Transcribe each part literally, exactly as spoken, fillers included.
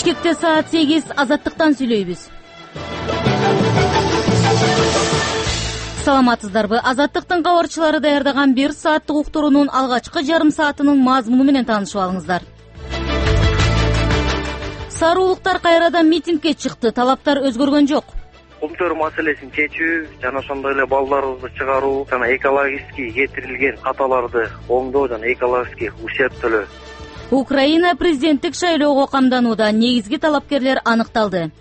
Бишкекте саат сегиз, Азаттыктан сүйлөйбүз. Саламатсыздарбы? Азаттыктын кабарчылары даярдаган бир сааттык уктуруунун алгачкы жарым саатынын мазмуну менен таанышып алыңыздар. Саруулуктар кайрадан митингге чыкты, талаптар өзгөргөн жок. Кумтөр маселесин чечүү жана ошондой эле балдарыбызды чыгаруу жана экологический кетирилген каталарды оңдоо жана экологический ущерб төлөө. Украина президенттик шайлоого камданууда, негизги талапкерлер аныкталды.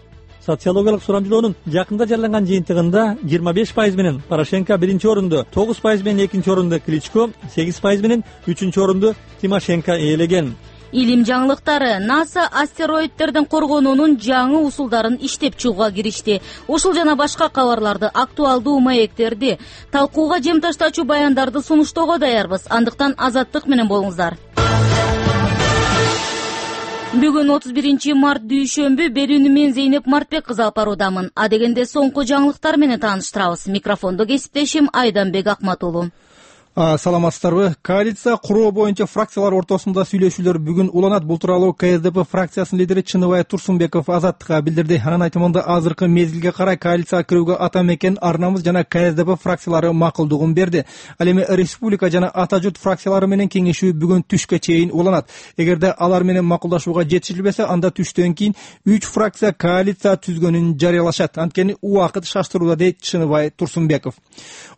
Социологиялык сурамжылоонун жакында жарыяланган жыйынтыгында жыйырма беш пайыз менен Порошенко биринчи орунду, тогуз пайыз менен экинчи орунду Кличко, сегиз пайыз менен үчүнчү орунду Тимошенко ээлеген. Илим жаңылыктары. НАСА астероидтерден коргонуунун жаңы усулдарын иштеп чыгууга киришти. Ушул жана башка кабарларды, актуалдуу маектерди, талкууга жем таштачу баяндарды сунуштоого даярбыз. Андыктан азаттык менен болуңуздар. Бүгүн отуз биринчи март дүйшөмбү, берүүнү мен Зейнеп Мартбек кызы алып баруудамын. А дегенде соңку жаңылыктар менен тааныштырабыз. Микрофондо кесиптешим Айданбек Акматулу. Саламатсыздарбы? Коалиция куруу боюнча фракциялар ортосунда сүйлөшүүлөр бүгүн уланат. Бул тууралуу КСДП фракциясынын лидери Чыныбай Турсунбеков Азаттыкка билдирди. Анын айтымында азыркы мезгилге карай коалицияга кирүүгө ата мекен, Ар-Намыс жана КСДП фракциялары макулдугун берди. Ал эми Республика жана Ата журт фракциялары менен кеңешүү бүгүн түшкө чейин уланат. Эгерде алар менен макулдашууга жетишилбесе, анда түштөн кийин үч фракция коалиция түзгөнүн жарыялашат. Анткени убакыт шаштырууда, дейт Чыныбай Турсунбеков.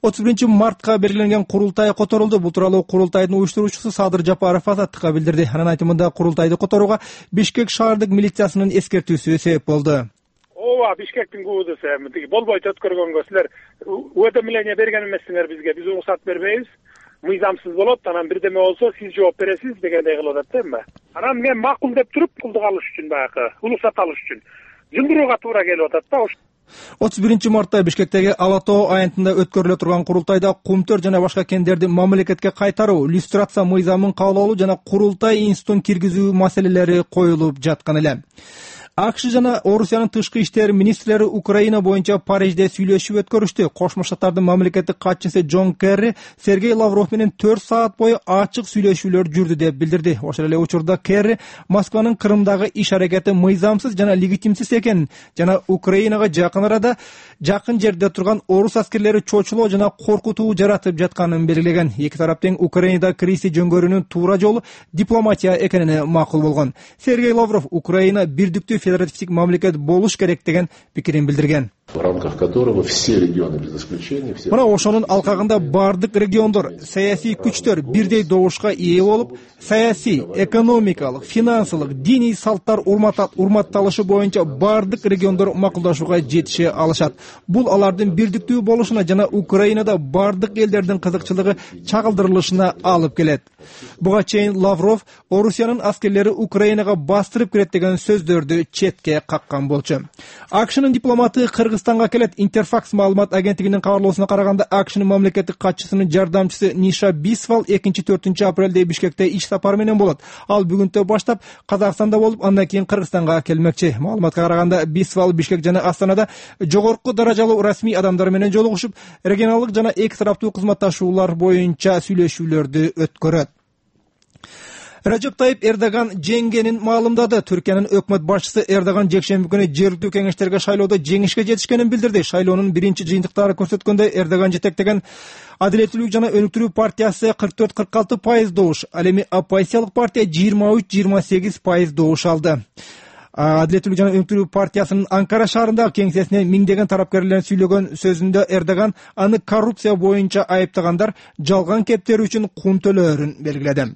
отуз биринчи мартка белгиленген курултай которулду. Бул тууралуу курултайдын уюштуруучусу Садыр Жапаров Азаттыкка билдирди. Анын айтымында курултайды которууга Бишкек шаардык милициясынын эскертүүсү себеп болду. Ооба, Бишкектин ГУДС тиги болбойт өткөргөнгө силер уведомление берген эмессиңер бизге. Биз уруксат бербейбиз. Мыйзамсыз болот, анан бирдеме болсо сиз жооп бересиз дегендей кылып атат да эми. Анан мен макул деп туруп кулдук алыш үчүн, баягы уруксат алыш үчүн жындырууга туура келип атат да. отуз биринчи мартта Бишкектеги Ала тоо аянтында өткөрүлө турган курултайда кумтөр жана башка кендерди мамлекетке кайтаруу, иллюстрация мыйзамын кабыл алуу жана курултай институтун киргизүү маселелери коюлуп жаткан эле. АКШ жана Орусиянын тышкы иштер министрлери Украина боюнча Парижде сүйлөшүп өткөрүштү. Кошмо Штаттардын мамлекеттик катчысы Джон Керри Сергей Лавров менен төрт саат бою ачык сүйлөшүүлөр жүрдү деп билдирди. Ошол эле учурда Керри Москванын Крымдагы иш аракети мыйзамсыз жана легитимсиз экенин жана Украинага жакын арада жакын жерде турган орус аскерлери чочулоо жана коркутуу жаратып жатканын белгилеген. Эки тарап тең Украинада кризис жөнгөрүүнүн туура жолу дипломатия экенине макул болгон. Сергей Лавров Украина бирдиктүү федеративдик мамлекет болуш керек деген пикирин билдирген. В рамках которого все регионы без исключения все. Мына ошонун алкагында бардык региондор, саясий күчтөр бирдей добушка ээ болуп, саясий, экономикалык, финансылык, диний салттар урматталышы боюнча бардык региондор макулдашууга жетише алышат. Бул алардын бирдиктүү болушуна жана Украинада бардык элдердин кызыкчылыгы чагылдырылышына алып келет. Буга чейин Лавров Орусиянын аскерлери Украинага бастырып кирет деген сөздөрдү четке каккан болчу. АКШнын дипломаты Кыргызстанга келет. Интерфакс маалымат агенттигинин кабарлоосуна караганда, АКШнын мамлекеттик катчысынын жардамчысы Ниша Бисвал экинчи төртүнчү апрелде Бишкекте иш сапары менен болот. Ал бүгүнтө баштап Казакстанда болуп, андан кийин Кыргызстанга келмекчи. Маалыматка караганда, Бисвал Бишкек жана Астанада жогорку даражалуу расмий адамдар менен жолугушуп, регионалдык жана эки тараптуу кызматташуулар боюнча сүйлөшүүлөрдү өткөрөт. Режеп Тайип Эрдоган жеңгенин маалымдады. Түркиянын өкмөт башчысы Эрдоган жекшемби күнү жергиликтүү кеңештерге шайлоодо жеңишке жетишкенин билдирди. Шайлоонун биринчи жыйынтыктары көрсөткөндөй, Эрдоган жетектеген Адилеттүүлүк жана өнүктүрүү партиясы кырк төрт кырк алты пайыз добуш, ал эми оппозициялык партия жыйырма үч жыйырма сегиз пайыз добуш алды. Адилеттүүлүк жана өнүктүрүү партиясынын Анкара шаарындагы кеңсесине миңдеген тарапкерлер сүйлөгөн сөзүндө Эрдоган аны коррупция боюнча айыптагандар жалган кептерүү үчүн кум төлөөрүн белгиледи.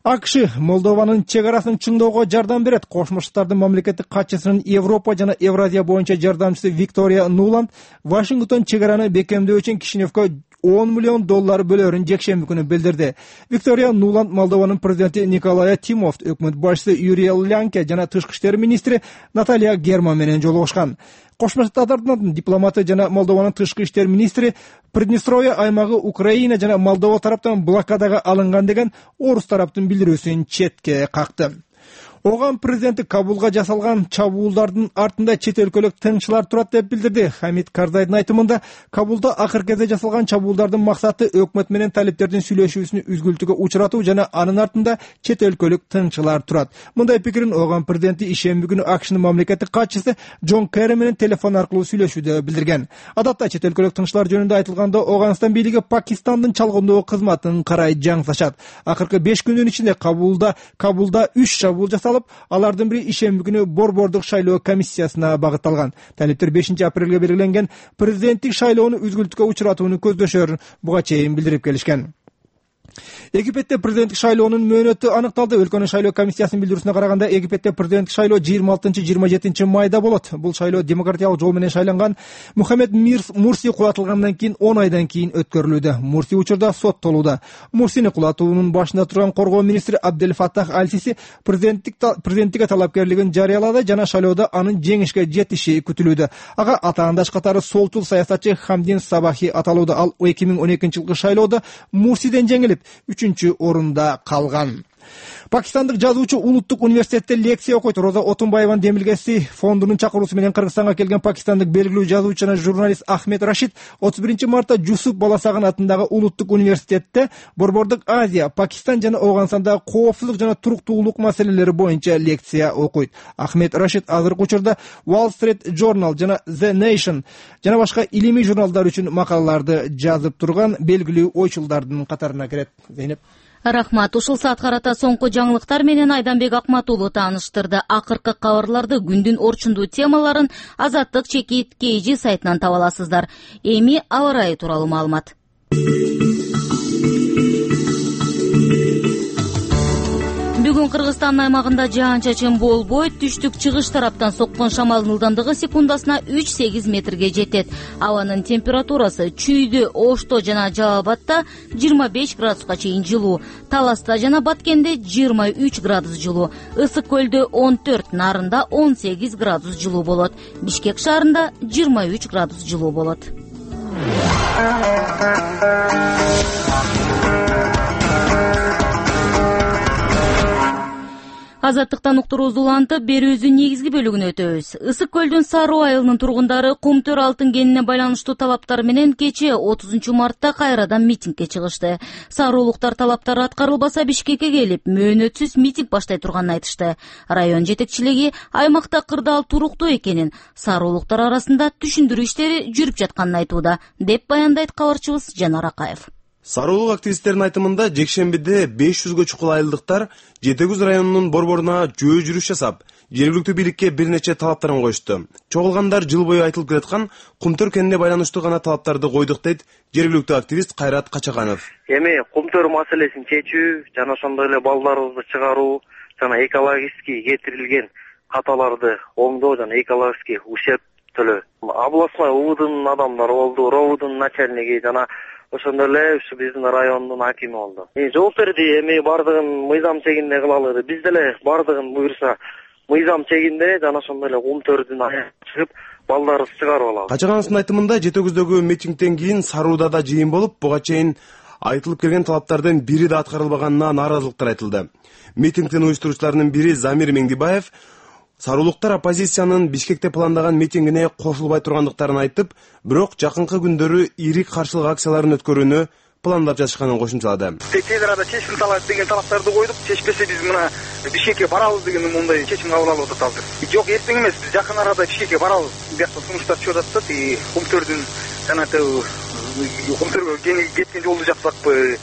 АКШ Молдованын чек арасын чыңдоого жардам берет. Кошмо Штаттардын мамлекеттик катчысынын Европа жана Евразия боюнча жардамчысы Виктория Нуланд Вашингтон чек араны бекемдөө үчүн Кишиневкө он миллион доллар бөлөөрүн жекшемби күнү билдирди. Виктория Нуланд Молдованын президенти Николай Тимофт, өкмөт башчысы Юрий Лянке жана тышкы иштер министри Наталья Герман менен жолугушкан. Кошмо Штаттардын дипломаты жана Молдованын тышкы иштер министри Приднестровье аймагы Украина жана Молдова тараптан блокадага алынган деген орус тараптын билдирүүсүн четке какты. Оган президенти Кабулга жасалган чабуулдардын артында чет өлкөлүк тыңчылар турат деп билдирди. Хамид Карзайдын айтымында, Кабулда акыркы кезде жасалган чабуулдардын максаты өкмөт менен талиптердин сүйлөшүүсүн үзгүлтүүгө учуратуу жана анын артында чет өлкөлүк тыңчылар турат. Мындай пикирин Оган президенти ишемби күнү АКШнын мамлекеттик катчысы Джон Керри менен телефон аркылуу сүйлөшүүдө билдирген. Адатта чет өлкөлүк тыңчылар жөнүндө айтылганда Оганстан бийлиги Пакистандын чалгындоо кызматын карай жаңсашат. Акыркы беш күндүн ичинде Кабулда Кабулда үч чабуул жасалып, алардын бири ишемби күнү борбордук шайлоо комиссиясына багытталган. Талиптер бешинчи апрелге белгиленген президенттик шайлоону үзгүлтүүгө учуратууну көздөшөрүн буга чейин билдирип келишкен. Египетте президенттик шайлоонун мөөнөтү аныкталды. Өлкөнүн шайлоо комиссиясынын билдирүүсүнө караганда, Египетте президенттик шайлоо жыйырма алтынчы жыйырма жетинчи майда болот. Бул шайлоо демократиялык жол менен шайланган Мухаммед Мурси кулатылгандан кийин он айдан кийин өткөрүлүүдө. Мурси учурда соттолууда. Мурсини кулатуунун башында турган коргоо министри Абдель Фаттах Аль-Сиси президенттик президенттикке талапкерлигин жарыялады жана шайлоодо анын жеңишке жетиши күтүлүүдө. Ага атаандаш катары солчул саясатчы Хамдин Сабахи аталууда. Ал эки миң он экинчи жылкы шайлоодо Мурсиден жеңилип үчүнчү орунда калган. Пакистандык жазуучу улуттук университетте лекция окуйт. Роза Отунбаеванын демилгеси фондунун чакыруусу менен Кыргызстанга келген пакистандык белгилүү жазуучу жана журналист Ахмед Рашид отуз биринчи мартта Жусуп Баласагын атындагы улуттук университетте Борбордук Азия, Пакистан жана Ооганстандагы коопсуздук жана туруктуулук маселелери боюнча лекция окуйт. Ахмед Рашид азыркы учурда Wall Street Journal жана The Nation жана башка илимий журналдар үчүн макалаларды жазып турган белгилүү ойчулдардын катарына кирет. Зейнеп. Рахмат. Ушул саат карата соңку жаңылыктар менен Айданбек Акматулу тааныштырды. Акыркы кабарларды, күндүн орчундуу темаларын Азаттык чекит кейжи сайтынан таба аласыздар. Эми аба ырайы тууралуу маалымат. Бүгүн Кыргызстан аймагында жаан-чачын болбойт. Түштүк-чыгыш тараптан соккон шамалдын ылдамдыгы секундасына үч сегиз метрге жетет. Абанын температурасы Чүйдө, Ошто жана Жалал Абадта жыйырма беш градуска чейин жылуу, Таласта жана Баткенде жыйырма үч градус жылуу, Ысык көлдө он төрт, Нарында он сегиз градус жылуу болот. Бишкек шаарында жыйырма үч градус жылуу болот. Азаттыктан уктуруубузду улантып, берүүбүздүн негизги бөлүгүнө өтөбүз. Ысык көлдүн Саруу айылынын тургундары кумтөр алтын кенине байланыштуу талаптар менен кечээ отузунчу мартта кайрадан митингге чыгышты. Саруулуктар талаптары аткарылбаса Бишкекке келип, мөөнөтсүз митинг баштай турганын айтышты. Район жетекчилиги аймакта кырдаал туруктуу экенин, саруулуктар арасында түшүндүрүү иштери жүрүп жатканын айтууда, деп баяндайт кабарчыбыз Жанар Акаев. Саруулук активисттердин айтымында жекшембиде беш жүзгө чукул айылдыктар Жети Көз районунун борборуна жөө жүрүш жасап, жергиликтүү бийликке бир нече талаптарын коюшту. Чогулгандар жыл бою айтылып келаткан кумтөр кенине байланыштуу гана талаптарды койдук дейт жергиликтүү активист Кайрат Качаканов. Эми кумтөр маселесин чечүү жана ошондой эле балдарыбызды чыгаруу жана экологический кетирилген каталарды оңдоо жана экологический ущерб төлөө. Областной УВДнын адамдары болду, РОВДун начальниги жана ошондой эле ушу биздин райондун акими болду. Жооп берди, эми бардыгын мыйзам чегинде кылалы. Биз деле бардыгын буюрса мыйзам чегинде жана ошондой эле кумтөрдүн аягына чыгып балдарыбызды чыгарып алабыз. Качагановдун айтымында Жети Көздөгү митингден кийин Сарууда да жыйын болуп, буга чейин айтылып келген талаптардын бири да аткарылбаганына нааразылыктар айтылды. Митингдин уюштуруучуларынын бири Замир Меңдибаев саруулуктар оппозициянын Бишкекте пландаган митингине кошулбай тургандыктарын айтып, бирок жакынкы күндөрү ири каршылык акцияларын өткөрүүнү пландап жатышканын кошумчалады. Тез арада чечим талап деген талаптарды койдук. Чечпесе биз мына Бишкекке барабыз деген мындай чечим кабыл алып атат азыр. Жок, эртең эмес, биз жакын арада Бишкекке барабыз. Биякта сунуштар чыгып атат, и кумтөрдүн жана кумтөргө кеткен жолду жапсакпы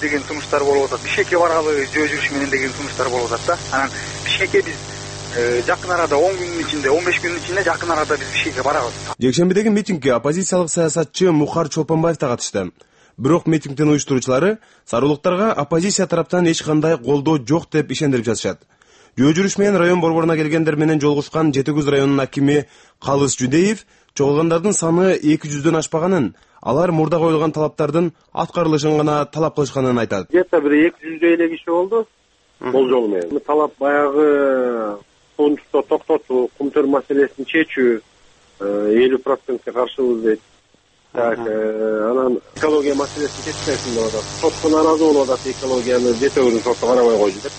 деген сунуштар болуп атат. Бишкекке баралы жөө жүрүш менен деген сунуштар болуп атат да. Анан Бишкекке биз жакын арада он күндүн ичинде, он беш күндүн ичинде жакын арада биз Бишкекке барабыз. Жекшембидеги митингге оппозициялык саясатчы Мухар Чолпонбаев да катышты. Бирок митингдин уюштуруучулары саруулуктарга оппозиция тараптан эч кандай колдоо жок деп ишендирип жатышат. Жөө жүрүш менен район борборуна келгендер менен жолугушкан Жети Көз районунун акими Калыс Жүдеев чогулгандардын саны эки жүздөн ашпаганын, алар мурда коюлган талаптардын аткарылышын гана талап кылышканын айтат. Где-то бир эки жүздөй эле киши болду. Болжол менен. Талап баягы сончто токтотуу, кумтөр маселесин чечүү, элүү процентке каршыбыз дейт. Так, анан экология маселесин чечпесин деп атат. Сотко нааразы болуп атат, экологияны Жети Көздүн соту карабай койду деп.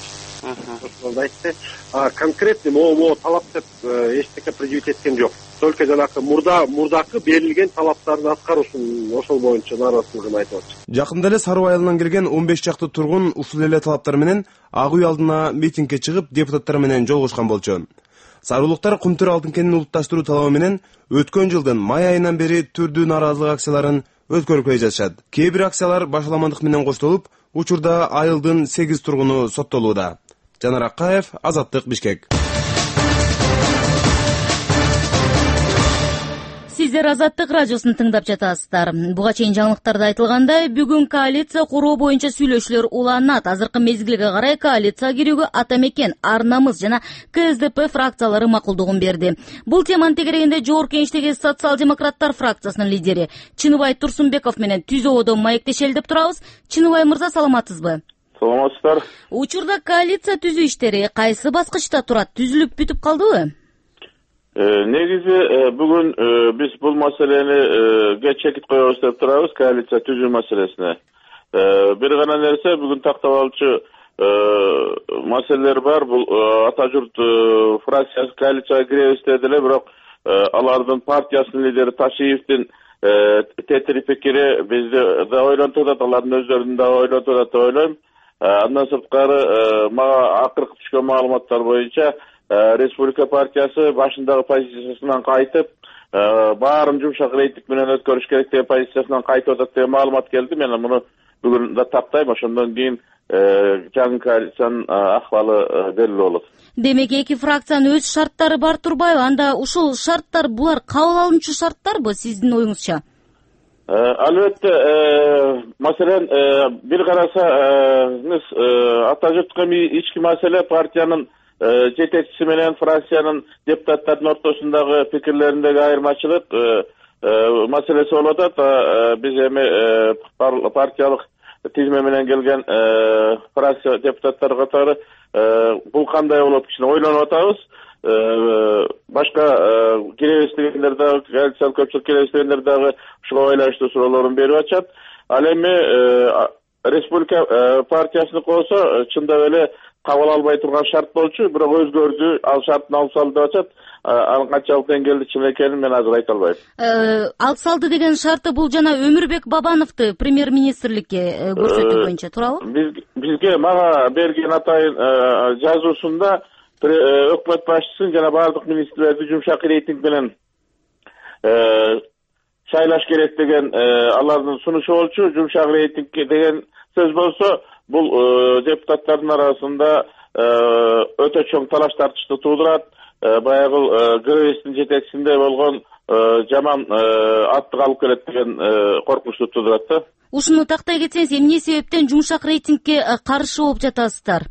ошондо айтты. А конкретный могу могу талап деп эчтеке предъявить эткен жок. Только жанакы мурда мурдакы берилген талаптарды аткаруусун ошол боюнча нааразычылыгын айтып атышат. Жакында эле Саруу айылынан келген он беш чакты тургун ушул эле талаптар менен Ак үй алдына митингге чыгып, депутаттар менен жолугушкан болчу. Саруулуктар Кумтөр алтын кенин улутташтыруу талабы менен өткөн жылдын май айынан бери түрдүү нааразылык акцияларын өткөрүп келе жатышат. Кээ бир акциялар башаламандык менен коштолуп, учурда айылдын сегиз тургуну соттолууда. Жанар Акаев, Азаттык, Бишкек. Сиздер Азаттык радиосун тыңдап жатасыздар. Буга чейин жаңылыктарда айтылгандай, бүгүн коалиция куруу боюнча сүйлөшүүлөр уланат. Азыркы мезгилге карай коалицияга кирүүгө Ата Мекен, Ар Намыс жана Ка Эс Де Пе фракциялары макулдугун берди. Бул теманы тегерегинде Жогорку Кеңештеги социал-демократтар фракциясынын лидери Чыныбай Турсунбеков менен түз ободон маектешели деп турабыз. Чыныбай мырза, саламатсызбы? Саламатсыздар. Учурда коалиция түзүү иштери кайсы баскычта турат? Түзүлүп бүтүп калдыбы? Негизи бүгүн биз бул маселени чекит коебуз деп турабыз, коалиция түзүү маселесине. Бир гана нерсе, бүгүн тактап алчу маселелер бар. Бул Ата журт фракциясы коалицияга киребиз деди эле, бирок алардын партиясынын лидери Ташиевдин тетири пикири бизди да ойлонтуп атат, алардын өздөрүн да ойлонтуп атат деп ойлойм. Андан сырткары мага акыркы түшкөн маалыматтар боюнча Республика партиясы башындагы позициясынан кайтып, баарын жумшак рейтинг менен өткөрүш керек деген позициясынан кайтып атат деген маалымат келди. Мен муну бүгүн да тактайм, ошондон кийин жаңы коалициянын акыбалы белгилүү болот. Демек, эки фракциянын өз шарттары бар турбайбы? Анда ушул шарттар булар кабыл алынчу шарттарбы сиздин оюңузча? Албетте, маселен, бир карасаңыз, Ата журтка ички маселе партиянын жетекчиси менен фракциянын депутаттардын ортосундагы пикирлериндеги айырмачылык маселеси болуп атат. Биз эми партиялык тизме менен келген фракция депутаттары катары бул кандай болот кичине ойлонуп атабыз. Башка киребиз дегендер дагы, коалициялык көпчүлүк киребиз дегендер дагы ушуга байланыштуу суроолорун берип атышат. Ал эми Республика партиясыныкы болсо чындап эле кабыл албай турган шарт болчу, бирок өзгөрдү, ал шартын алып салды деп атат. Анын канчалык деңгээлде чын экенин мен азыр айта албайм. Алып салды деген шарты бул жана Өмүрбек Бабановду премьер-министрликке көрсөтүү боюнча туурабы? Бизге мага берген атайын жазуусунда өкмөт башчысын жана бардык министрлерди жумшак рейтинг менен шайлаш керек деген алардын сунушу болчу. Жумшак рейтинг деген сөз болсо, бул депутаттардын арасында өтө чоң талаш тартышты туудурат. Баягы ГРСтин жетекчисинде болгон жаман аттык алып келет деген коркунучту туудурат да. Ушуну тактай кетсеңиз, эмне себептен жумшак рейтингге каршы болуп жатасыздар?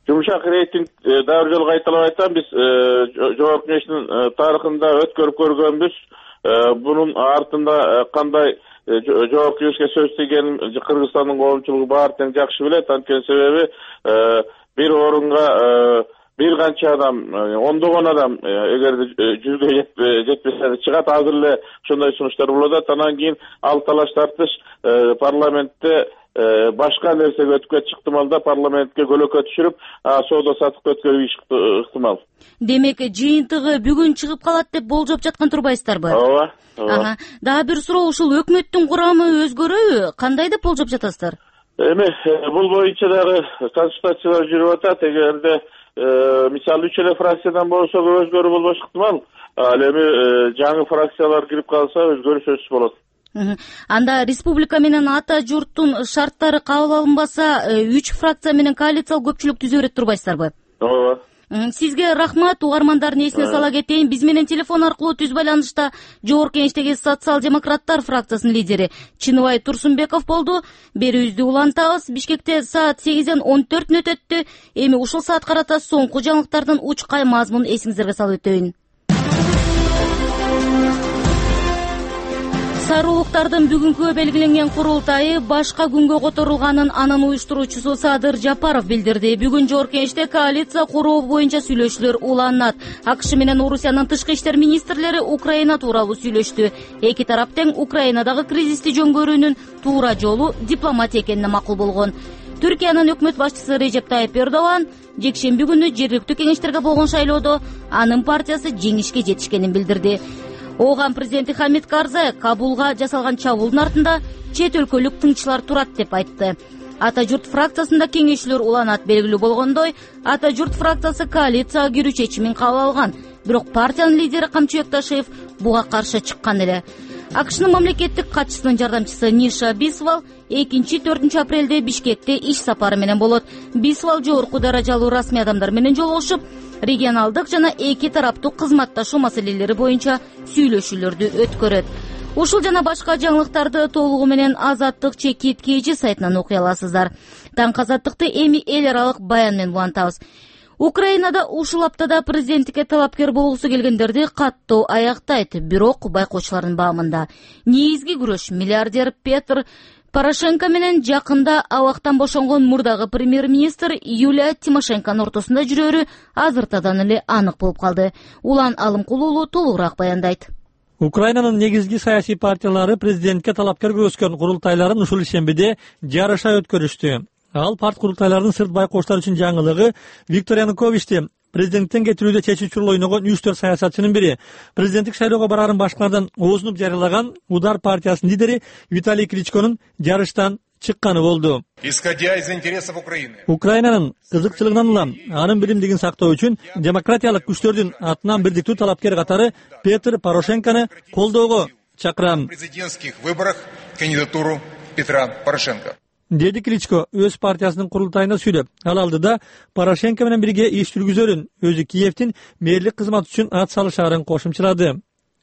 Жумшак рейтинг дагы бир жолу кайталап айтам, биз Жогорку Кеңештин тарыхында өткөрүп көргөнбүз. Бунун артында кандай Жогорку Кеңешке сөз тийгенин Кыргызстандын коомчулугу баары тең жакшы билет. Анткени себеби бир орунга бир канча адам, ондогон адам эгерде жүзгө жетпесе чыгат. Азыр эле ошондой сунуштар болуп атат. Анан кийин ал талаш тартыш парламентте башка нерсеге өтүп кетиши ыктымалда, парламентке көлөкө түшүрүп, соода саттыкты өткөрүш ыктымал. Демек, жыйынтыгы бүгүн чыгып калат деп болжоп жаткан турбайсыздарбы? Ооба. Ага. Дагы бир суроо, ушул өкмөттүн курамы өзгөрөбү? Кандай деп болжоп жатасыздар? Эми бул боюнча дагы консультациялар жүрүп атат. Эгерде мисалы үч эле фракциядан болсо өзгөрүү болбош ыктымал. Ал эми жаңы фракциялар кирип калса өзгөрүү сөзсүз болот. Анда республика менен Ата журттун шарттары кабыл алынбаса, үч фракция менен коалициялык көпчүлүк түзө берет турбайсыздарбы? Ооба. Сизге рахмат. Угармандардын эсине сала кетейин, биз менен телефон аркылуу түз байланышта Жогорку Кеңештеги социал-демократтар фракциясынын лидери Чыныбай Турсунбеков болду. Берүүбүздү улантабыз. Бишкекте саат сегизден он төрт мүнөт өттү. Эми ушул саат карата соңку жаңылыктардын учкай мазмунун эсиңиздерге салып өтөйүн. Саруулуктардын бүгүнкү белгиленген курултайы башка күнгө которулганын анын уюштуруучусу Садыр Жапаров билдирди. Бүгүн Жогорку Кеңеште коалиция куруу боюнча сүйлөшүүлөр уланат. АКШ менен Орусиянын тышкы иштер министрлери Украина тууралуу сүйлөштү. Эки тарап тең Украинадагы кризисти жөнгөрүүнүн туура жолу дипломатия экенине макул болгон. Түркиянын өкмөт башчысы Режеп Тайып Эрдоган жекшемби күнү жергиликтүү кеңештерге болгон шайлоодо анын партиясы жеңишке жетишкенин билдирди. Ооган президенти Хамид Карзай Кабулга жасалган чабуулдун артында чет өлкөлүк тыңчылар турат деп айтты. Ата журт фракциясында кеңешчилер уланат. Белгилүү болгондой, Ата журт фракциясы коалицияга кирүү чечимин кабыл алган. Бирок партиянын лидери Камчыбек Ташиев буга каршы чыккан эле. АКШнын мамлекеттик катчысынын жардамчысы Ниша Бисвал экинчи төртүнчү апрелде Бишкекте иш сапары менен болот. Бисвал жогорку даражалуу расмий адамдар менен жолугушуп, регионалдык жана эки тараптуу кызматташуу маселелери боюнча сүйлөшүүлөрдү өткөрөт. Ушул жана башка жаңылыктарды толугу менен Азаттык чекит кж сайтынан окуй аласыздар. Таң Азаттыкты эми эл аралык баян менен улантабыз. Украинада ушул аптада президенттикке талапкер болгусу келгендерди каттоо аяктайт, бирок байкоочулардын баамында. Негизги күрөш миллиардер Петр Порошенко менен жакында абактан бошонгон мурдагы премьер-министр Юлия Тимошенконун ортосунда жүрөрү азыртадан эле анык болуп калды. Улан Алымкул уулу толугураак баяндайт. Украинанын негизги саясий партиялары президентке талапкер көрсөткөн курултайларын ушул шембиде жарыша өткөрүштү. Ал парт курултайларынын сырт байкоочулар үчүн жаңылыгы Виктор Януковичти президенттен кетирүүдө чечүүчү роль ойногон үч төрт саясатчынын бири. Президенттик шайлоого барарын башкалардан оозунуп жарыялаган Удар партиясынын лидери Виталий Кличконун жарыштан чыкканы болду. Исходя из интересов Украины. Украинанын кызыкчылыгынан улам анын биримдигин сактоо үчүн демократиялык күчтөрдүн атынан бирдиктүү талапкер катары Петр Порошенкону колдоого чакырам. В президентских выборах кандидатуру Петра Порошенко. Деди Кличко өз партиясынын курултайында сүйлөп, ал алдыда Порошенко менен бирге иш жүргүзөрүн, өзү Киевдин мэрлик кызмат үчүн ат салышаарын кошумчалады.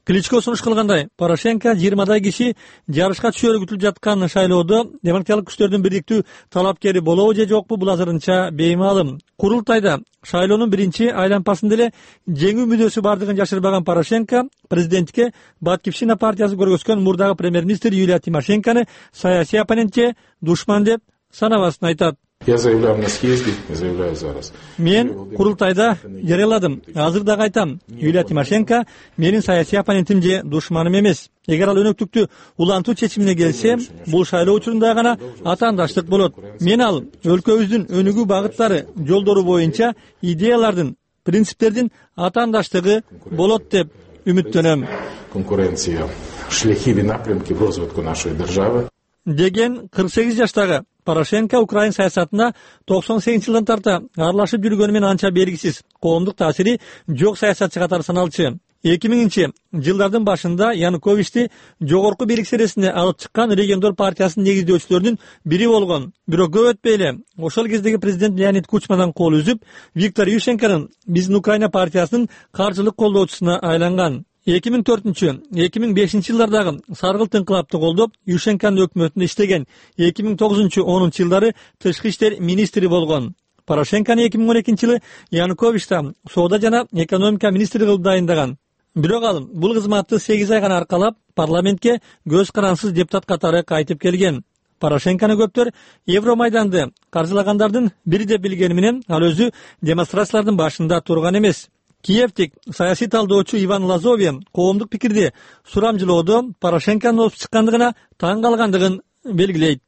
Кличко сунуш кылгандай, Порошенко жыйырмадай киши жарышка түшөрү күтүлүп жаткан шайлоодо демократиялык күчтөрдүн бирдиктүү талапкери болобу же жокпу бул азырынча беймаалым. Курултайда шайлоонун биринчи айланпасында эле жеңүү мүнөсү бардыгын жашырбаган Порошенко президентке Баткивщина партиясы көргөзгөн мурдагы премьер-министр Юлия Тимошенкону саясий оппонентче душман деп санабасын айтат. Я заявляю на съезде, заявляю зараз. Мен курултайда жарыяладым. Азыр дагы айтам. Юлия Тимошенко менин саясий оппонентим же душманым эмес. Эгер ал өнөктүктү улантуу чечимине келсе, бул шайлоо учурунда гана атаандаштык болот. Мен ал өлкөбүздүн өнүгүү багыттары, жолдору боюнча идеялардын, принциптердин атаандаштыгы болот деп үмүттөнөм. Конкуренция, шляхи и напрямки в развитку нашей державы. Деген кырк сегиз жаштагы Порошенко Украин саясатына токсон сегизинчи жылдан тарта аралашып жүргөнү менен анча белгисиз, коомдук таасири жок саясатчы катары саналчу. эки миңинчи жылдардын башында Януковичти жогорку бийлик сересине алып чыккан Региондор партиясынын негиздөөчүлөрүнүн бири болгон. Бирок көп өтпөй эле ошол кездеги президент Леонид Кучмадан кол үзүп, Виктор Ющенконун биздин Украина партиясынын каржылык колдоочусуна айланган. эки миң төртүнчү эки миң бешинчи жылдардагы саргылт инкылапты колдоп, Ющенконун өкмөтүндө иштеген, эки миң тогузунчу онунчу жылдары тышкы иштер министри болгон. Порошенкону эки миң он экинчи жылы Януковичти соода жана экономика министри кылып дайындаган. Бирок ал бул кызматты сегиз ай гана аркалап, парламентке көз карансыз депутат катары кайтып келген. Порошенкону көптөр Евромайданды каржылагандардын бири деп билгени менен ал өзү демонстрациялардын башында турган эмес. Киевтик саясий талдоочу Иван Лазове коомдук пикирди сурамжылоодо Порошенконун озуп чыккандыгына таң калгандыгын белгилейт.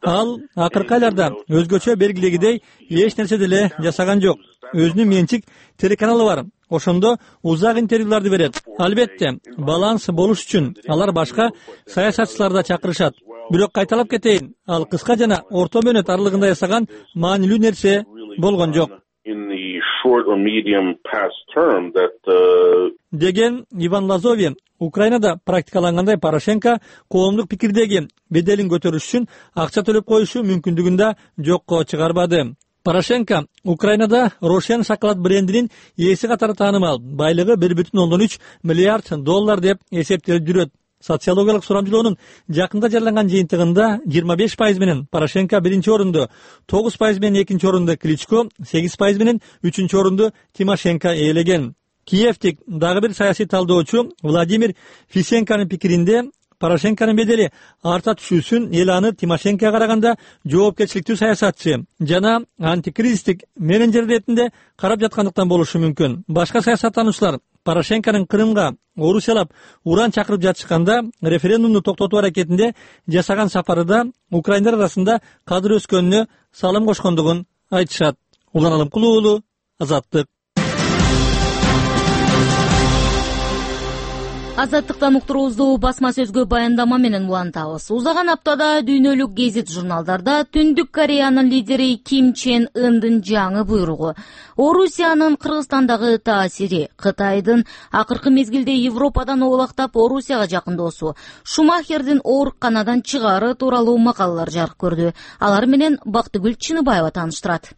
Ал акыркы айларда өзгөчө белгилегидей эч нерсе деле жасаган жок. Өзүнүн менчик телеканалы бар. Ошондо узак интервьюларды берет. Албетте, баланс болуш үчүн алар башка саясатчыларды чакырышат. Бирок кайталап кетейин, ал кыска жана орто мөөнөт аралыгында жасаган маанилүү нерсе болгон жок. Деген Иван Лазове Украинада практикалангандай Порошенко коомдук пикирдеги беделин көтөрүш үчүн акча төлөп коюшу мүмкүндүгүн да жокко чыгарбады. Порошенко Украинада Рошен шоколад брендинин ээси катары таанымал, байлыгы бир бүтүн ондон үч миллиард доллар деп эсептелип жүрөт. Социологиялык сурамжылоонун жакында жарыяланган жыйынтыгында жыйырма беш пайыз менен Порошенко биринчи орунду, тогуз пайыз менен экинчи орунду Кличко, сегиз пайыз менен үчүнчү орунду Тимошенко ээлеген. Киевтик дагы бир саясий талдоочу Владимир Фисенконун пикиринде Порошенконун бедели арта түшүүсүн эл аны Тимошенкоға караганда жоопкерчиликтүү саясатчы жана антикризистик менеджер иретинде карап жаткандыктан болушу мүмкүн. Башка саясаттануучулар Порошенконун Крымга орусиялап уран чакырып жатышканда референдумду токтотуу аракетинде жасаган сапарыда украиндар арасында кадыр өскөнүнө салым кошкондугун айтышат. Улан Алымкулуу уулу, Азаттык. Азаттыктан уктуруубузду басма сөзгө баяндама менен улантабыз. Узаган аптада дүйнөлүк гезит журналдарда Түндүк Кореянын лидери Ким Чен Ындын жаңы буйругу, Орусиянын Кыргызстандагы таасири, Кытайдын акыркы мезгилде Европадан оолактап Орусияга жакындоосу, Шумахердин ооруканадан чыгаары тууралуу макалалар жарык көрдү. Алар менен Бактыгүл Чыныбаева тааныштырат.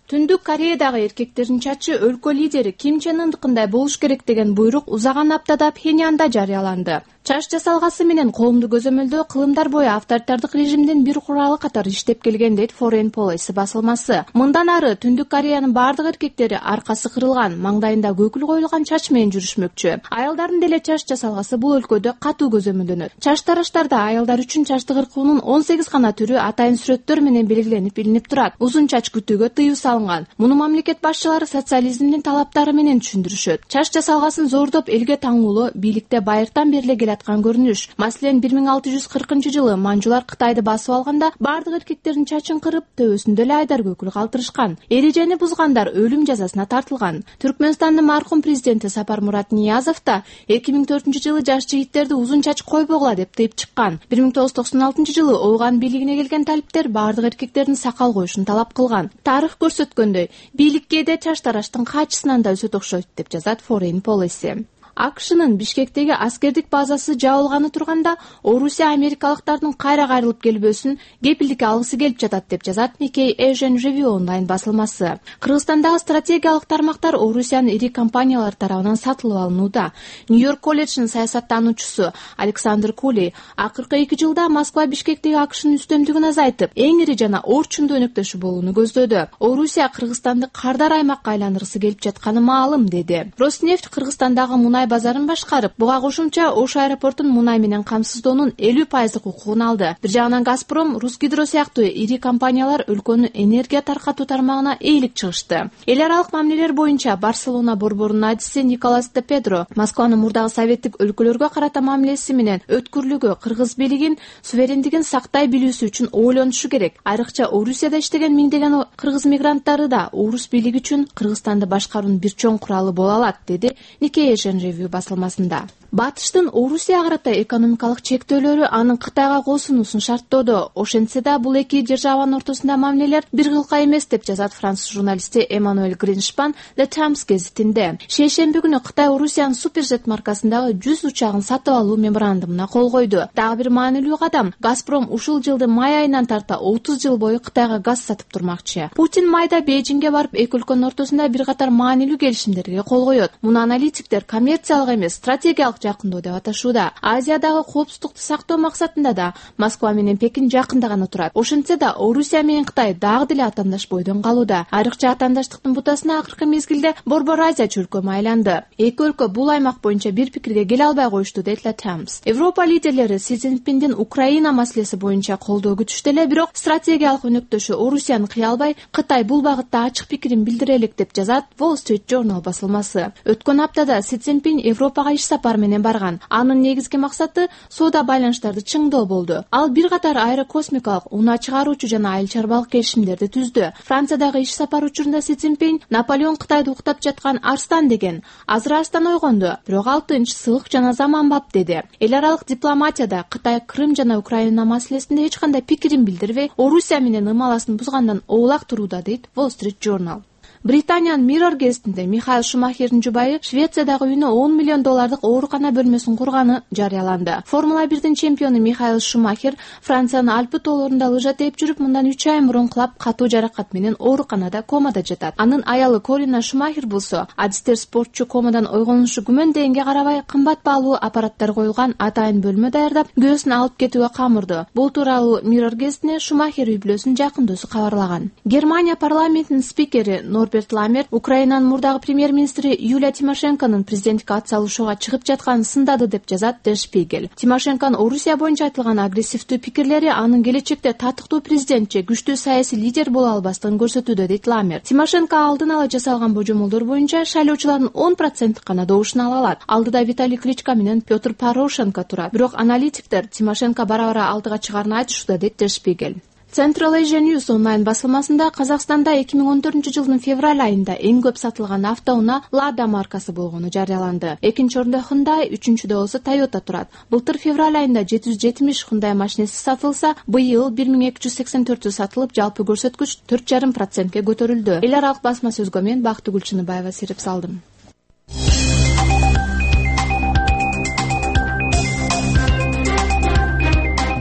Түндүк Кореядагы эркектердин чачы өлкө лидери Ким Чен Ындыкындай болуш керек деген буйрук узаган аптада Пхеньянда жарыяланды. Чач жасалгасы менен коомду көзөмөлдөө кылымдар бою авторитардык режимдин бир куралы катары иштеп келген дейт Foreign Policy басылмасы. Мындан ары Түндүк Кореянын бардык эркектери аркасы кырылган, маңдайында көкүл коюлган чач менен жүрүшмөкчү. Аялдардын деле чач жасалгасы бул өлкөдө катуу көзөмөлдөнөт. Чач тараштарда аялдар үчүн чачты кыркуунун он сегиз гана түрү атайын сүрөттөр менен белгиленип илинип турат. Узун чач күтүүгө тыюу салынган. Муну мамлекет башчылары социализмдин талаптары менен түшүндүрүшөт. Чач жасалгасын зордоп элге таңуулоо бийликте байыртан бери келаткан көрүнүш. Маселен, бир миң алты жүз кыркынчы жылы манжулар Кытайды басып алганда бардык эркектердин чачын кырып, төбөсүндө эле айдар көкүл калтырышкан. Эрежени бузгандар өлүм жазасына тартылган. Түркмөнстандын маркум президенти Сапармурат Ниязов да эки миң төртүнчү жылы жаш жигиттерди узун чач койбогула деп тыйып чыккан. бир миң тогуз жүз токсон алтынчы жылы Ооган бийлигине келген талиптер бардык эркектердин сакал коюшун талап кылган. Тарых көрсөткөндөй, бийлик кээде чач тараштын качысынан да өсөт окшойт деп жазат Foreign Policy. АКШнын Бишкектеги аскердик базасы жабылганы турганда Орусия америкалыктардын кайра кайрылып келбөсүн кепилдикке алгысы келип жатат деп жазат Nikkei Asian Review онлайн басылмасы. Кыргызстандагы стратегиялык тармактар Орусиянын ири компаниялар тарабынан сатылып алынууда. Нью-Йорк колледжинин саясаттануучусу Александр Кули акыркы эки жылда Москва Бишкектеги АКШнын үстөмдүгүн азайтып, эң ири жана орчундуу өнөктөшү болууну көздөдү. Орусия Кыргызстанды кардар аймакка айландыргысы келип жатканы маалым, деди. Роснефть Кыргызстандагы мунай базарын башкарып, буга кошумча Ош аэропортун мунай менен камсыздоонун элүү пайыздык укугун алды. Бир жагынан Газпром, Русгидро сыяктуу ири компаниялар өлкөнүн энергия таркатуу тармагына ээлик чыгышты. Эл аралык мамилелер боюнча Барселона борборунун адиси Николас де Педро Москванын мурдагы советтик өлкөлөргө карата мамилеси менен өткүрлүгү кыргыз бийлигин суверендигин сактай билүүсү үчүн ойлонушу керек. Айрыкча Орусияда иштеген миңдеген кыргыз мигранттары да орус бийлиги үчүн Кыргызстанды башкаруунун бир чоң куралы боло алат, деди Nikkei Asian Review басылмасында. Батыштын Орусияга карата экономикалык чектөөлөрү анын Кытайга коосунуусун шарттоодо. Ошентсе да бул эки державанын ортосунда мамилелер бир кылка эмес деп жазат француз журналисти Эммануэль Гриншпан The Times гезитинде. Шейшемби күнү Кытай Орусиянын Суперджет маркасындагы жүз учагын сатып алуу меморандумуна кол койду. Дагы бир маанилүү кадам, Газпром ушул жылдын май айынан тарта отуз жыл бою Кытайга газ сатып турмакчы. Путин майда Бейжиңге барып эки өлкөнүн ортосунда бир катар маанилүү келишимдерге кол коет. Муну аналитиктер коммерциялык эмес, стратегиялык жакындоо деп аташууда. Азиядагы коопсуздукту сактоо максатында да Москва менен Пекин жакында гана турат. Ошентсе да Орусия менен Кытай дагы деле атаандаш бойдон калууда. Айрыкча атаандаштыктын бутасына акыркы мезгилде Борбор Азия чөлкөмү айланды. Эки өлкө бул аймак боюнча бир пикирге келе албай коюшту, дейт The Times. Европа лидерлери Си Цзиньпиндин Украина маселеси боюнча колдоо күтүштү эле, бирок стратегиялык өнөктөшү Орусияны кыя албай, Кытай бул багытта ачык пикирин билдире элек деп жазат Wall Street Journal басылмасы. Өткөн аптада Си Цзиньпин Европага иш сапар менен барган. Анын негизги максаты соода байланыштарды чыңдоо болду. Ал бир катар аэрокосмикалык, унаа чыгаруучу жана айыл чарбалык келишимдерди түздү. Франциядагы иш сапар учурунда Си Цзиньпин Наполеон Кытайды уктап жаткан арстан деген. Азыр арстан ойгонду, бирок ал тынч, сылык жана заманбап, деди. Эл аралык дипломатияда Кытай Крым жана Украина маселесинде эч кандай пикирин билдирбей, Орусия менен ымаласын бузгандан оолак турууда, дейт Wall Street Journal. Британиянын Mirror гезитинде Михаил Шумахердин жубайы Швециядагы үйүнө он миллион доллардык оорукана бөлмөсүн курганы жарыяланды. Формула бирдин чемпиону Михаил Шумахер Франциянын Альпы тоолорунда лыжа тээп жүрүп, мындан үч ай мурун кулап катуу жаракат менен ооруканада комада жатат. Анын аялы Корина Шумахер болсо, адистер спортчу комадан ойгонушу күмөн дегенге карабай кымбат баалуу аппараттар коюлган атайын бөлмө даярдап, күйөөсүн алып кетүүгө камырды. Бул тууралуу Mirror гезитине Шумахер үй бүлөсүнүн жакын досу кабарлаган. Германия парламентинин спикери Норберт Роберт Ламерт Украинанын мурдагы премьер-министри Юлия Тимошенконун президенттикке ат салышууга чыгып жатканын сындады деп жазат Der Spiegel. Тимошенконун Орусия боюнча айтылган агрессивдүү пикирлери анын келечекте татыктуу президент же күчтүү саясий лидер боло албастыгын көрсөтүүдө, дейт Ламерт. Тимошенко алдын ала жасалган божомолдор боюнча шайлоочулардын он проценти гана добушун ала алат. Алдыда Виталий Кличко менен Петр Порошенко турат. Бирок аналитиктер Тимошенко бара-бара алдыга чыгаарын айтышууда, дейт Der Spiegel. Central Asia News онлайн басылмасында Казакстанда эки миң он төртүнчү жылдын февраль айында эң көп сатылган автоунаа Lada маркасы болгону жарыяланды. Экинчи орунда Hyundai, үчүнчүдө болсо Toyota турат. Былтыр февраль айында жети жүз жетимиш Hyundai машинеси сатылса, быйыл бир миң эки жүз сексен төртү сатылып, жалпы көрсөткүч төрт жарым процентке көтөрүлдү. Эл аралык басма сөзгө мен Бактыгүл Чыныбаева серип салдым.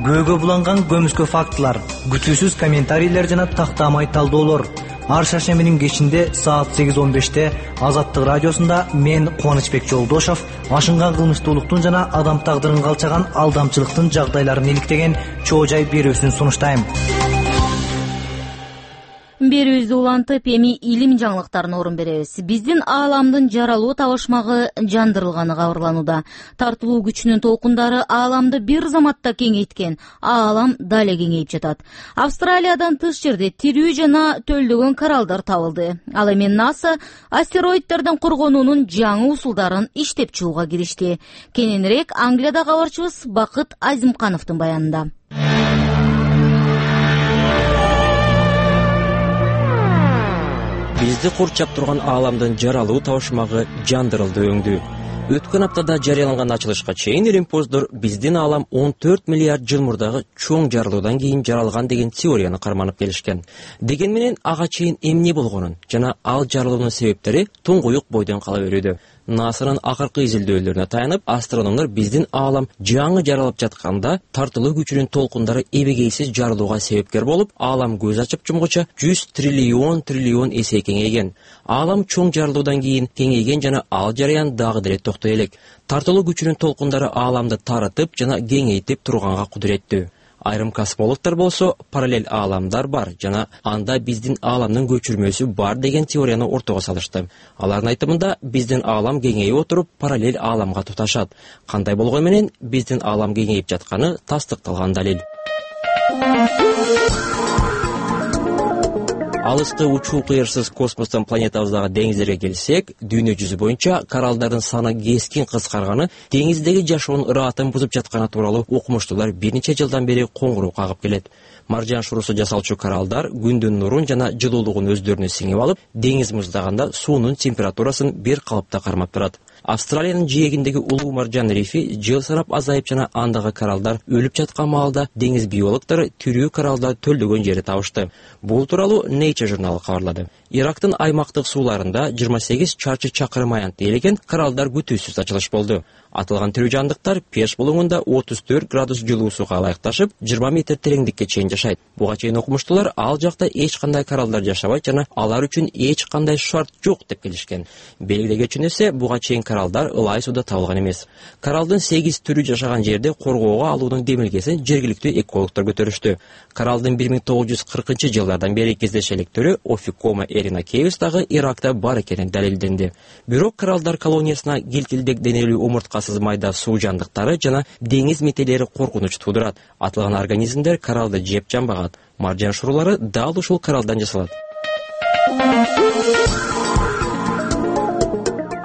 Көөгө буланган көмүскө фактылар, күтүүсүз комментарийлер жана тактамай талдоолор. Ар шаршембинин кечинде саат сегиз он беште Азаттык радиосунда мен Кубанычбек Жолдошов ашынган кылмыштуулуктун жана адам тагдырын калчаган алдамчылыктын жагдайларын иликтеген чоо жай берүүсүн сунуштайм. Берүүбүздү улантып, эми илим жаңылыктарына орун беребиз. Биздин ааламдын жаралуу табышмагы жандырылганы кабарланууда. Тартылуу күчүнүн толкундары ааламды бир заматта кеңейткен, аалам дале кеңейип жатат. Австралиядан тыш жерде тирүү жана төлдөгөн кораллдар табылды. Ал эми НАСА астероидтерден коргонуунун жаңы усулдарын иштеп чыгууга киришти. Кененирээк Англияда кабарчыбыз Бакыт Азимкановдун баянында. Бизди курчап турган ааламдын жаралуу табышмагы жандырылды өңдү. Өткөн аптада жарыяланган ачылышка чейин Римпоздор биздин аалам он төрт миллиард жыл мурдагы чоң жарылуудан кийин жаралган деген теорияны карманып келишкен. Деген менен ага чейин эмне болгонун жана ал жарылуунун себептери туңгуюк бойдон кала берүүдө. НАСАнын акыркы изилдөөлөрүнө таянып, астрономдор биздин аалам жаңы жаралып жатканда тартылуу күчүнүн толкундары эбегейсиз жарылууга себепкер болуп, аалам көз ачып жумгуча жүз триллион триллион эсе кеңейген. Аалам чоң жарылуудан кийин кеңейген жана ал жараян дагы деле токтой элек. Тартылуу күчүнүн толкундары ааламды таратып жана кеңейтип турганга кудуреттүү. Айрым космологдор болсо параллель ааламдар бар жана анда биздин ааламдын көчүрмөсү бар деген теорияны ортого салышты. Алардын айтымында биздин аалам кеңейип отуруп параллель ааламга туташат. Кандай болгону менен биздин аалам кеңейип жатканы тастыкталган далил. Алыскы учуу кыйырсыз космостон планетабыздагы деңиздерге келсек, дүйнө жүзү боюнча кораллдардын саны кескин кыскарганы, деңиздеги жашоонун ыраатын бузуп жатканы тууралуу окумуштуулар бир нече жылдан бери коңгуроо кагып келет. Маржан шурусу жасалчу кораллдар күндүн нурун жана жылуулугун өздөрүнө сиңип алып, деңиз муздаганда суунун температурасын бир калыпта кармап турат. Австралиянын жээгиндеги улуу маржан рифи жыл санап азайып жана андагы кораллдар өлүп жаткан маалда деңиз биологдору тирүү кораллдар төлдөгөн жерди табышты. Бул тууралуу Nature журналы кабарлады. Ирактын аймактык сууларында жыйырма сегиз чарчы чакырым аянтты ээлеген кораллдар күтүүсүз ачылыш болду. Атылган тирүү жандыктар пеш булуңунда отуз төрт градус жылуу сууга ылайыкташып, жыйырма метр тереңдикке чейин жашайт. Буга чейин окумуштуулар ал жакта эч кандай кораллдар жашабайт жана алар үчүн эч кандай шарт жок деп келишкен. Белгилеге үчүн эсе буга чейин кораллдар ылай сууда табылган эмес. Кораллдын сегиз түрү жашаган жерде коргоого алуунун демилгесин жергиликтүү экологдор көтөрүштү. Кораллдын бир миң тогуз жүз кыркынчы жылдардан бери кездеше элек түрү Офикома эринакеус дагы Иракта бар экени далилденди. Бирок кораллдар колониясына килтилдек денелүү омурткасыз майда суу жандыктары жана деңиз метелери коркунуч туудурат. Атылган организмдер кораллды жеп жанбагат. Маржан шурулары дал ушул кораллдан жасалат.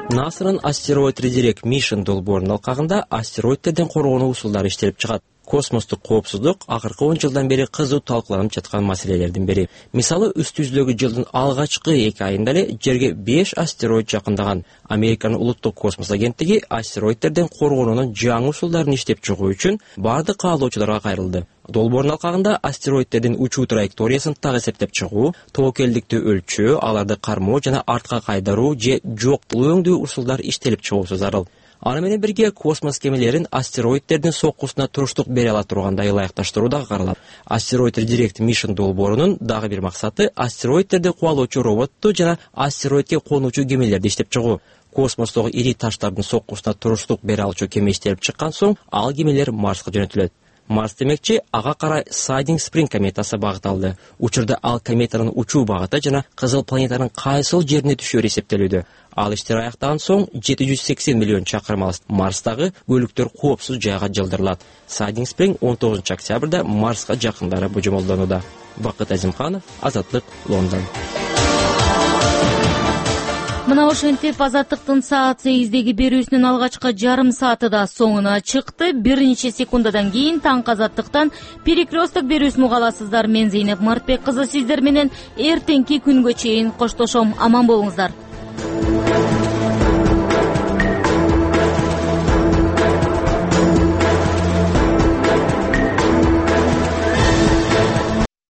НАСАнын астероид Redirect Mission долбоорунун алкагында астероидтерден коргонуу усулдары иштелип чыгат. Космостук коопсуздук акыркы он жылдан бери кызуу талкууланып жаткан маселелердин бири. Мисалы, үстү жүздөгү жылдын алгачкы эки айында эле жерге беш астероид жакындаган. Американын улуттук космос агенттиги астероидтерден коргонуунун жаңы усулдарын иштеп чыгуу үчүн бардык каалоочуларга кайрылды. Долбоордун алкагында астероидтердин учуу траекториясын так эсептеп чыгуу, тобокелдикти өлчөө, аларды кармоо жана артка кайдаруу же жок өңдүү усулдар иштелип чыгуусу зарыл. Аны менен бирге космос кемелерин астероидтердин соккусуна туруштук бере ала тургандай ылайыкташтыруу дагы каралат. Астероид Redirect Mission долбоорунун дагы бир максаты астероидтерди кубалоочу роботту жана астероидке конуучу кемелерди иштеп чыгуу. Космостогу ири таштардын соккусуна туруштук бере алчу кеме иштелип чыккан соң, ал кемелер Марска жөнөтүлөт. Марс демекчи ага карай Siding Spring кометасы багыт алды. Учурда ал кометанын учуу багыты жана кызыл планетанын кайсыл жерине түшөөрү эсептелүүдө. Ал иштер аяктаган соң жети жүз сексен миллион чакырым алыс Марстагы бөлүктөр коопсуз жайга жылдырылат. Siding Spring он тогузунчу октябрда Марска жакындары божомолдонууда. Бакыт Азимканов, Азаттык, Лондон. Мына ошентип Азаттыктын саат сегиздеги берүүсүнүн алгачкы жарым сааты да соңуна чыкты. Бир нече секундадан кийин таңкы Азаттыктан перекресток берүүсүн уга аласыздар. Мен Зейнеп Мартбек кызы сиздер менен эртеңки күнгө чейин коштошом. Аман болуңуздар.